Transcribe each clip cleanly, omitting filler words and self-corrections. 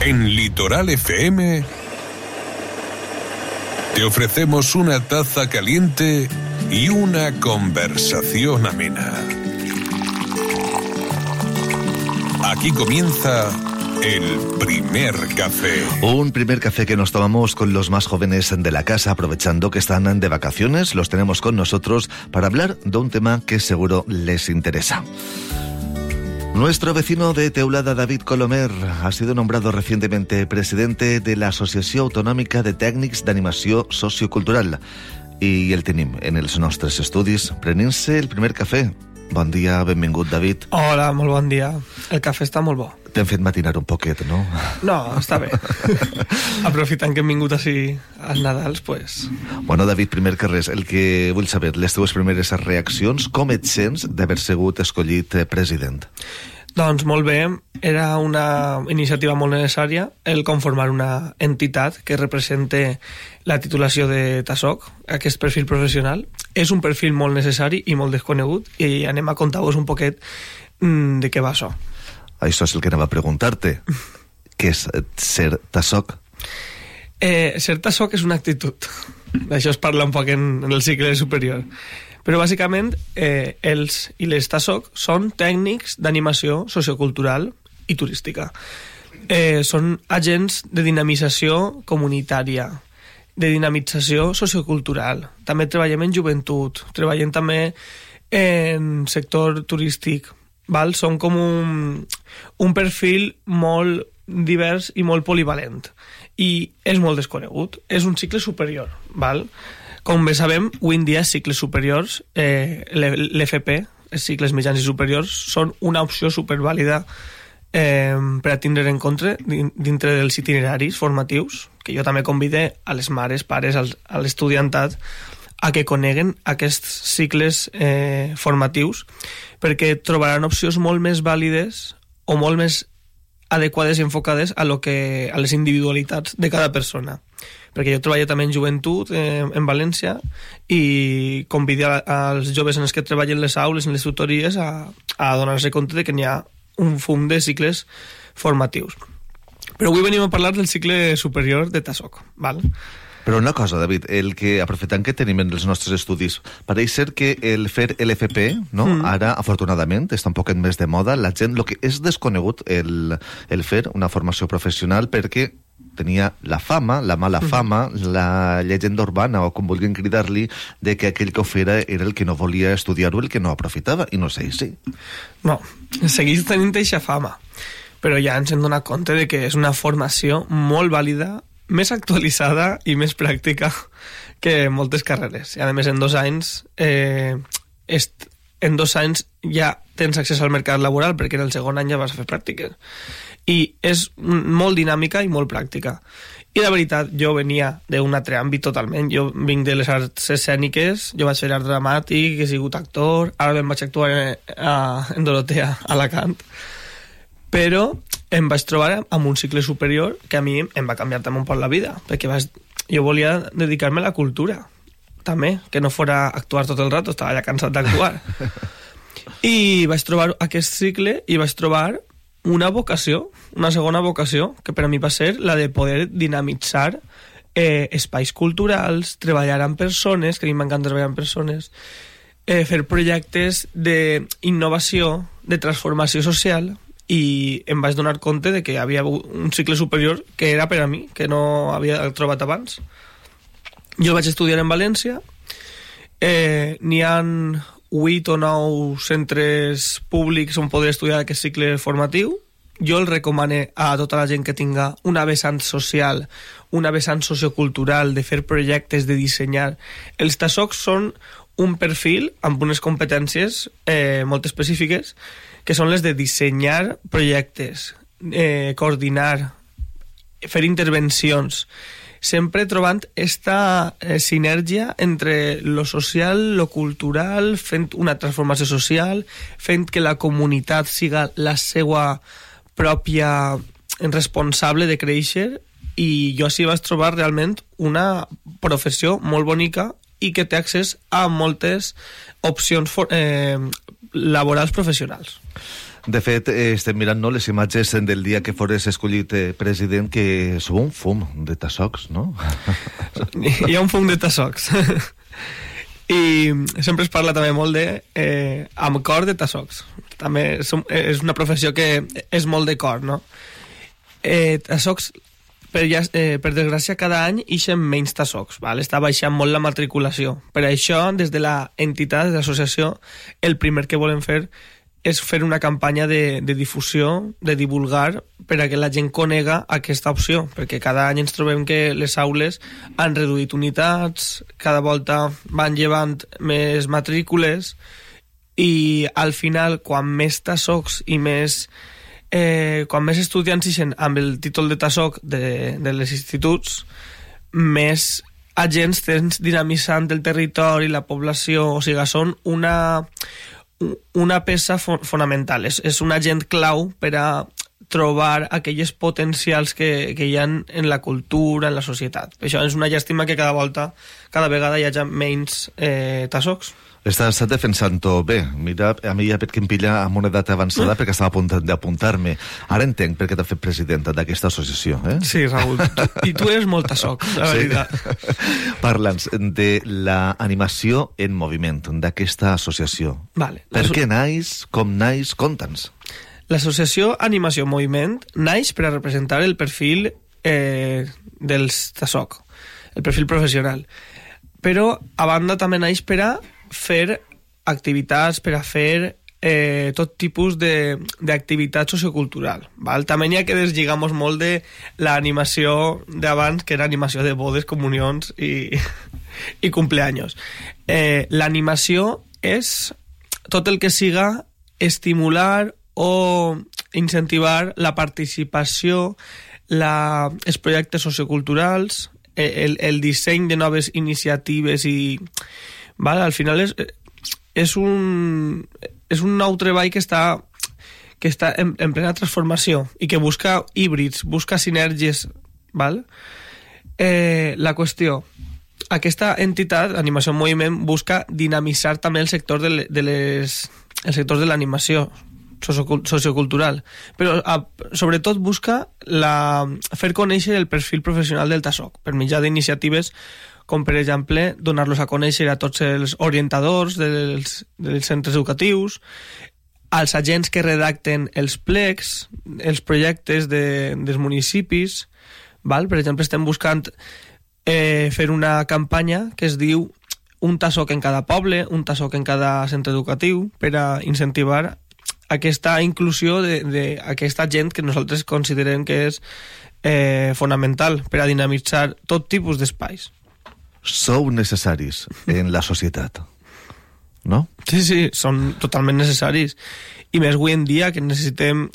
En Litoral FM te ofrecemos una taza caliente y una conversación amena. Aquí comienza el primer café. Un primer café que nos tomamos con los más jóvenes de la casa, aprovechando que están de vacaciones. Los tenemos con nosotros para hablar de un tema que seguro les interesa. Nuestro vecino de Teulada, David Colomer, ha sido nombrado recientemente presidente de la Associació Autonòmica de Tècnics d'Animació Sociocultural. I el tenim en els nostres estudis prenent-se el primer cafè. Bon dia, benvingut, David. Hola, molt bon dia. El cafè està molt bo. T'hem fet matinar un poquet, no? No, està bé. Aprofitant que hem vingut així als Nadals, pues... Bueno, David, primer que res, el que vull saber, les teves primeres reaccions, com et sents d'haver sigut escollit president? Doncs molt bé, era una iniciativa molt necessària el conformar una entitat que represente la titulació de TASOC, aquest perfil professional. És un perfil molt necessari i molt desconegut i anem a contar-vos un poquet de què va això. Això és el que anava a preguntar-te. Què és ser TASOC? Ser TASOC és una actitud. D'això es parla un poc en el cicle superior. Però bàsicament els i les TASOC són tècnics d'animació sociocultural i turística. Són agents de dinamització comunitària, de dinamització sociocultural. També treballem en joventut, treballem també en sector turístic. Val? Són com un perfil molt divers i molt polivalent. I és molt desconegut. És un cicle superior. Val? Com bé sabem, avui en dia cicles superiors, l'FP, els cicles mitjans i superiors, són una opció supervàlida per a tindre en compte dintre dels itineraris formatius, que jo també convide a les mares, pares, a l'estudiantat, a que coneguen aquests cicles formatius, perquè trobaran opcions molt més vàlides o molt més adequades i enfocades a les individualitats de cada persona. Perquè jo treballo també en joventut en València i convido als joves en els que treballen les aules, en les tutories, a donar-se compte de que n'hi ha un fum de cicles formatius. Però avui venim a parlar del cicle superior de TASOC, val? Però una cosa, David, el que aprofitant que tenim en els nostres estudis, pareix ser que el fer l'FP, no? Ara, afortunadament, està un poquet més de moda. La gent, el que és desconegut el fer una formació professional, perquè tenia la fama, la mala fama, la llegenda urbana, o com vulguin cridar-li, de que aquell que ho fera era el que no volia estudiar-ho, el que no aprofitava, i no sé si. No, seguís tenint eixa fama, però ja ens hem donat compte de que és una formació molt vàlida, més actualitzada i més pràctica que moltes carreres. I a més, en 2 anys ja tens accés al mercat laboral, perquè en el segon any ja vas a fer pràctiques. I és molt dinàmica i molt pràctica. I la veritat, jo venia d'un altre àmbit totalment. Jo vinc de les arts escèniques, jo vaig fer art dramàtic, he sigut actor, ara em vaig actuar en Dorotea, a Alacant. Però em vaig trobar amb un cicle superior que a mi em va canviar també un poc la vida, perquè jo volia dedicar-me a la cultura, també, que no fora actuar tot el rato, estava ja cansat d'actuar. I vaig trobar aquest cicle i vaig trobar una vocació, una segona vocació, que per a mi va ser la de poder dinamitzar espais culturals, treballar amb persones, que a mi m'encanta treballar amb persones, fer projectes d'innovació, de transformació social, i em vaig donar compte de que hi havia un cicle superior que era per a mi, que no havia trobat abans. Jo vaig estudiar en València, n'hi ha 8 o 9 centres públics on poder estudiar aquest cicle formatiu. Jo el recomano a tota la gent que tinga una vessant social, una vessant sociocultural, de fer projectes, de dissenyar. Els TASOC són un perfil amb unes competències molt específiques, que són les de dissenyar projectes, coordinar, fer intervencions, sempre trobant esta sinergia entre lo social, lo cultural, fent una transformació social, fent que la comunitat siga la seva pròpia responsable de créixer, i jo així vaig trobar realment una professió molt bonica i que té accés a moltes opcions laborals professionals. De fet, estem mirant les imatges del dia que fores escollit president, que sou un fum de tassocs, no? Hi ha un fum de tassocs. I sempre es parla també molt de amb cor de tassocs. També és una professió que és molt de cor, no? Tassocs, per desgràcia, cada any ixen menys tassocs, val? Està baixant molt la matriculació. Per això, des de la entitat, de l'associació, el primer que volem fer és fer una campanya de difusió, de divulgar, per a que la gent conega aquesta opció, perquè cada any ens trobem que les aules han reduït unitats, cada volta van llevant més matrícules, i al final, quan més tassocs i quan més estudiants ixen amb el títol de tassoc de les instituts, més agents tens dinamitzant el territori, la població, o sigui, són una peça fonamental, és un agent clau per a trobar aquelles potencials que hi ha en la cultura, en la societat. Això és una llàstima que cada vegada hi hagi menys tassocs. Estàs defensant-ho bé. Mira, a mi ja perquè em pilla amb una edat avançada perquè estava a punt d'apuntar-me. Ara entenc per què t'ha fet presidenta d'aquesta associació, eh? Sí, Raül. I tu eres molt tassoc, la veritat. Parla'ns de l'animació en moviment, d'aquesta associació. Vale. Per què naix, com naix, conta'ns. L'associació Animació en Moviment naix per a representar el perfil dels tassoc, el perfil professional. Però, a banda, també naix per a fer activitats, per a fer tot tipus d'activitat sociocultural. Val? També n'hi ha que deslligamos molt de l'animació d'abans, que era animació de bodes, comunions i cumpleaños. L'animació és tot el que siga estimular o incentivar la participació, els projectes socioculturals, el disseny de noves iniciatives i... Vale, al final és un nou treball que està en plena transformació i que busca híbrids, busca sinergies, val? La qüestió, aquesta entitat, Animació en Moviment, busca dinamitzar també el sector el sector de l'animació sociocultural, però sobretot busca fer conèixer el perfil professional del tassoc per mitjà d'iniciatives com, per exemple, donar-los a conèixer a tots els orientadors dels centres educatius, als agents que redacten els plecs, els projectes dels municipis, val? Per exemple, estem buscant fer una campanya que es diu un tassoc en cada poble, un tassoc en cada centre educatiu, per a incentivar aquesta inclusió d'aquesta gent que nosaltres considerem que és fonamental per a dinamitzar tot tipus d'espais. Sou necessaris en la societat, no? Sí, són totalment necessaris. I més avui en dia, que necessitem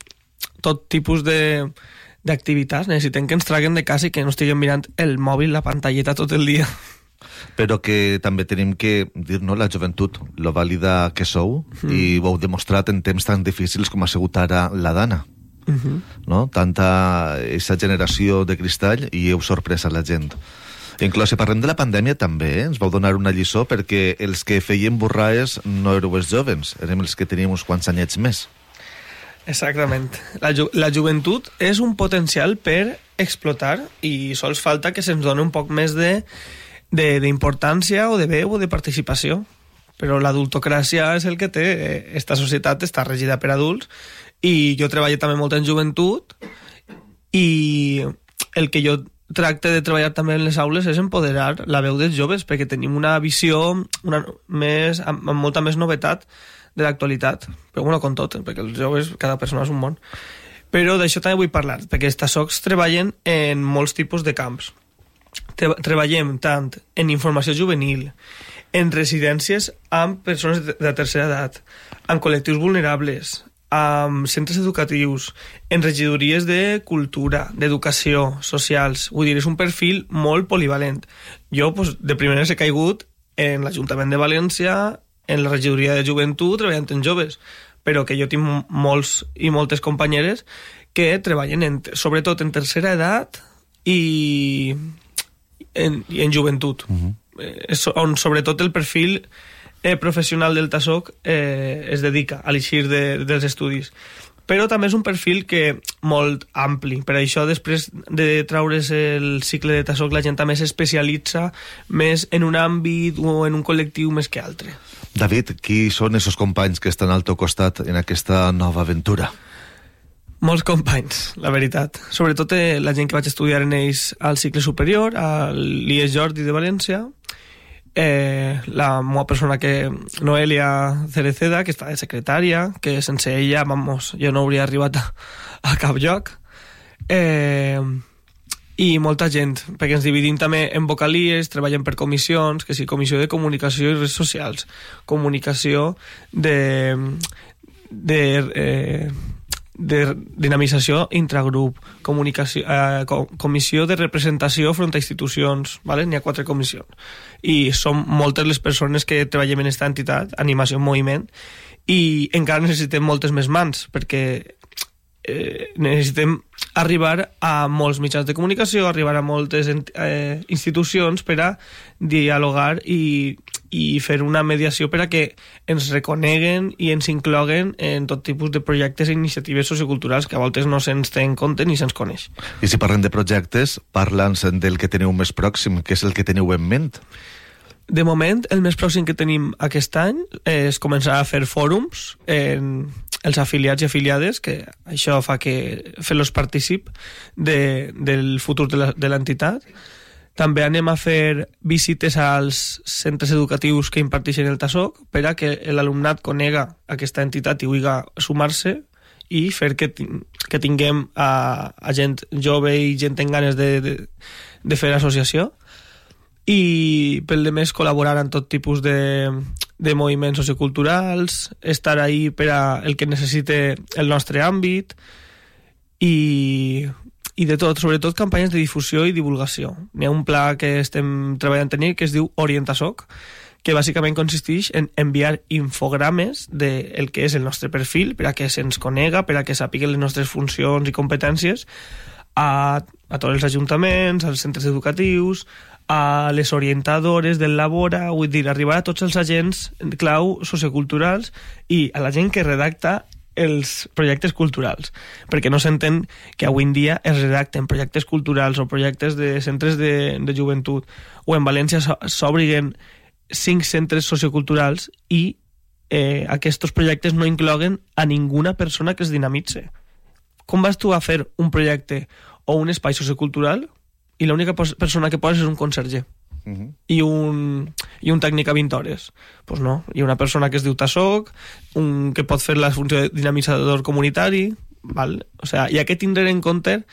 tot tipus d'activitats, necessitem que ens traguen de casa i que no estiguem mirant el mòbil, la pantalleta tot el dia. Però que també tenim que dir, no, la joventut, lo vàlida que sou, i ho heu demostrat en temps tan difícils com ha sigut ara la Dana. No? Tanta aquesta generació de cristall i heu sorprès a la gent. Inclús si parlem de la pandèmia també, ens vau donar una lliçó perquè els que feien borraes no éreu els jovens, érem els que teníem uns quants anyets més. Exactament. La joventut és un potencial per explotar i sols falta que se'ns doni un poc més d'importància o de veu o de participació. Però l'adultocràcia és el que té. Esta societat està regida per adults i jo treballo també molt en joventut i el que jo tracte de treballar també en les aules és empoderar la veu dels joves, perquè tenim una visió amb molta més novetat de l'actualitat. Però bueno, com tot, perquè els joves, cada persona és un món. Però d'això també vull parlar, perquè els tassocs treballen en molts tipus de camps. Treballem tant en informació juvenil, en residències amb persones de tercera edat, amb col·lectius vulnerables, amb centres educatius, en regidories de cultura, d'educació, socials. Vull dir, és un perfil molt polivalent. Jo, de primeres he caigut en l'Ajuntament de València, en la regidoria de joventut, treballant en joves, però que jo tinc molts i moltes companyeres que treballen sobretot en tercera edat i en joventut, on sobretot el perfil professional del tassoc es dedica a l'eixir dels estudis. però també és un perfil que molt ampli. Per això, després de traure's el cicle de TASOC, la gent també s'especialitza més en un àmbit o en un col·lectiu més que altre. David, qui són esos companys que estan al teu costat en aquesta nova aventura? Molts companys, la veritat. Sobretot la gent que vaig estudiar en ells al cicle superior, a l'IES Jordi de València, la meva persona Noelia Cereceda, que està de secretària, que sense ella, vamos, jo no hauria arribat a cap lloc. I molta gent, perquè ens dividim també en vocalies, treballem per comissions, que sí, comissió de comunicació i redes socials, comunicació de dinamització intragrup, comissió de representació front a institucions, ¿vale? N'hi ha 4 comissions. I som moltes les persones que treballem en aquesta entitat, Animació en Moviment, i encara necessitem moltes més mans, perquè necessitem arribar a molts mitjans de comunicació, arribar a moltes institucions per a dialogar i fer una mediació per a que ens reconeguen i ens incloguen en tot tipus de projectes i iniciatives socioculturals que a voltes no se'ns té en compte ni se'ns coneix. I si parlem de projectes, parla'ns del que teniu més pròxim, què és el que teniu en ment? De moment, el més pròxim que tenim aquest any és començar a fer fòrums en els afiliats i afiliades, que això fa que fer-los partícip del futur de l'entitat. També anem a fer visites als centres educatius que imparteixen el TASOC per a que l'alumnat conega aquesta entitat i vulgui sumar-se i fer que tinguem a gent jove i gent amb ganes de fer associació. I pel de més col·laborar en tot tipus de moviments socioculturals, estar ahí per a el que necessite el nostre àmbit i de tot, sobretot campanyes de difusió i divulgació. N'hi ha un pla que estem treballant en ell que es diu OrientaSoc, que bàsicament consisteix en enviar infogrames del que és el nostre perfil per a que se'ns conega, per a que sàpiguen les nostres funcions i competències a tots els ajuntaments, als centres educatius, a les orientadores del Labora, vull dir, arribar a tots els agents clau socioculturals i a la gent que redacta els projectes culturals, perquè no s'entén que avui en dia es redacten projectes culturals o projectes de centres de joventut, o en València s'obriguen 5 centres socioculturals i aquests projectes no incloguen a ninguna persona que es dinamitze. Com vas tu a fer un projecte o un espai sociocultural i l'única persona que poses és un conserge i un tècnic a 20 hores? Pues no, hi ha una persona que es diu TASOC, que pot fer la funció de dinamitzador comunitari, val? O sea, hi ha que tindre en compte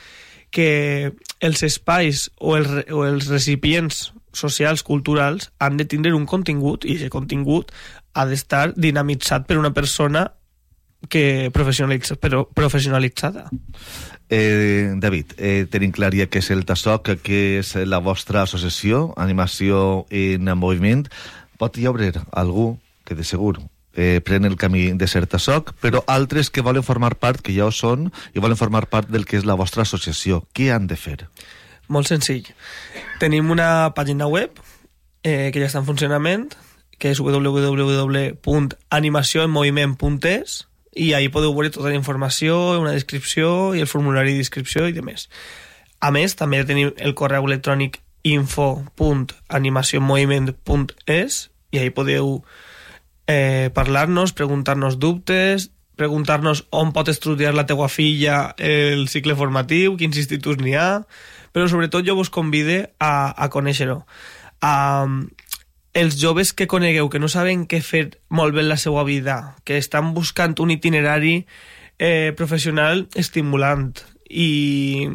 que els espais o els recipients socials, culturals, han de tindre un contingut, i aquest contingut ha d'estar dinamitzat per una persona professionalitzada. David, tenim clar ja què és el TASOC, què és la vostra associació, Animació en Moviment. Pot hi haver algú que de segur pren el camí de ser TASOC, però altres que volen formar part, que ja ho són, i volen formar part del que és la vostra associació. Què han de fer? Molt senzill. Tenim una pàgina web que ja està en funcionament, que és www.animacionmoviment.es, i ahí podeu veure tota la informació, una descripció i el formulari d'inscripció i demés. A més, també tenim el correu electrònic info.animacionmoviment.es i ahí podeu parlar-nos, preguntar-nos dubtes, preguntar-nos on pot estudiar la teua filla el cicle formatiu, quins instituts n'hi ha, però sobretot jo vos convide a conèixer-ho. Els joves que conegueu, que no saben què fer molt bé en la seva vida, que estan buscant un itinerari professional estimulant i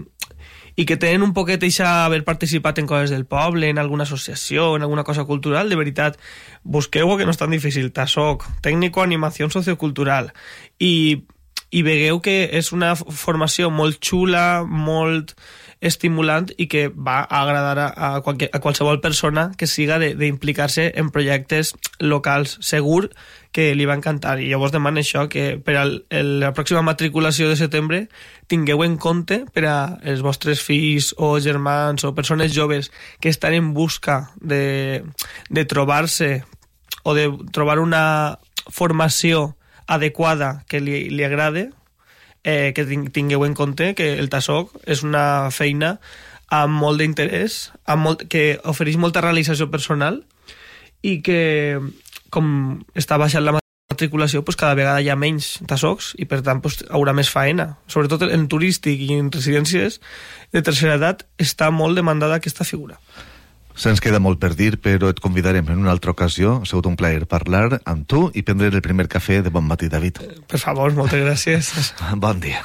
que tenen un poquet d'haver participat en coses del poble, en alguna associació, en alguna cosa cultural, de veritat, busqueu-ho, que no és tan difícil. TASOC, Tècnico Animació Sociocultural, i vegueu que és una formació molt xula, molt estimulant i que va agradar a qualsevol persona que siga d'implicar-se en projectes locals. Segur que li va encantar, i jo vos demano això, que per a la pròxima matriculació de setembre tingueu en compte per a els vostres fills o germans o persones joves que estan en busca de trobar-se o de trobar una formació adequada que li agrade, que tingueu en compte que el TASOC és una feina amb molt d'interès, que ofereix molta realització personal i que, com està baixant la matriculació, pues cada vegada hi ha menys TASOCs i per tant pues, haurà més faena. Sobretot en turístic i en residències de tercera edat està molt demandada aquesta figura. Se'ns queda molt per dir, però et convidarem en una altra ocasió. Ha sigut un plaer parlar amb tu i prendre el primer cafè de Bon Matí, David. Per favor, moltes gràcies. Bon dia.